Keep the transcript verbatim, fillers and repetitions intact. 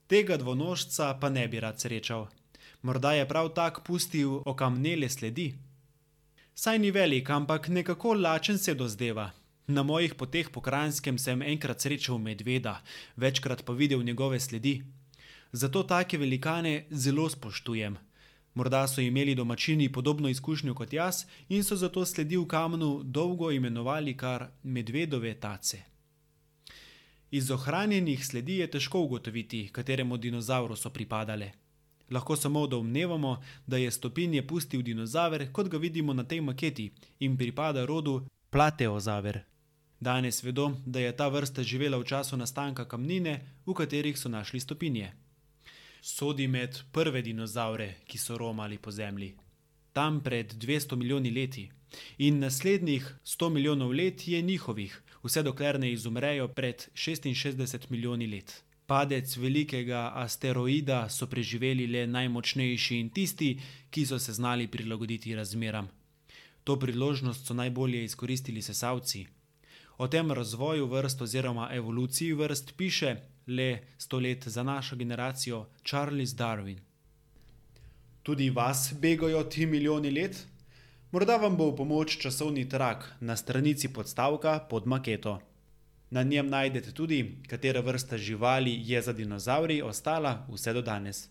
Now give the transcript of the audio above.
Tega dvonožca pa ne bi rad srečal. Morda je prav tak pustil okamnele sledi? Saj ni velik, ampak nekako lačen se dozdeva. Na mojih poteh po Kranjskem sem enkrat srečal medveda, večkrat pa videl njegove sledi. Zato take velikane zelo spoštujem. Morda so imeli domačini podobno izkušnjo kot jaz in so zato sledi v kamnu dolgo imenovali kar medvedove tace. Iz ohranjenih sledi je težko ugotoviti, kateremu dinozavru so pripadale. Lahko samo domnevamo, da je stopinje pustil dinozaver, kot ga vidimo na tej maketi, in pripada rodu Plateozaver. Danes vedo, da je ta vrsta živela v času nastanka kamnine, v katerih so našli stopinje. Sodi med prve dinozavre, ki so romali po zemlji. Tam pred dvesto milijoni leti. In naslednjih sto milijonov let je njihovih, vse dokler ne izumrejo pred šestinšestdeset milijoni let. Padec velikega asteroida so preživeli le najmočnejši in tisti, ki so se znali prilagoditi razmeram. To priložnost so najbolje izkoristili sesalci. O tem razvoju vrst oziroma evoluciji vrst piše le sto let za našo generacijo Charles Darwin. Tudi vas begajo ti milijoni let? Morda vam bo v pomoč časovni trak na stranici podstavka pod maketo. Na njem najdete tudi, katera vrsta živali je za dinozavri ostala vse do danes.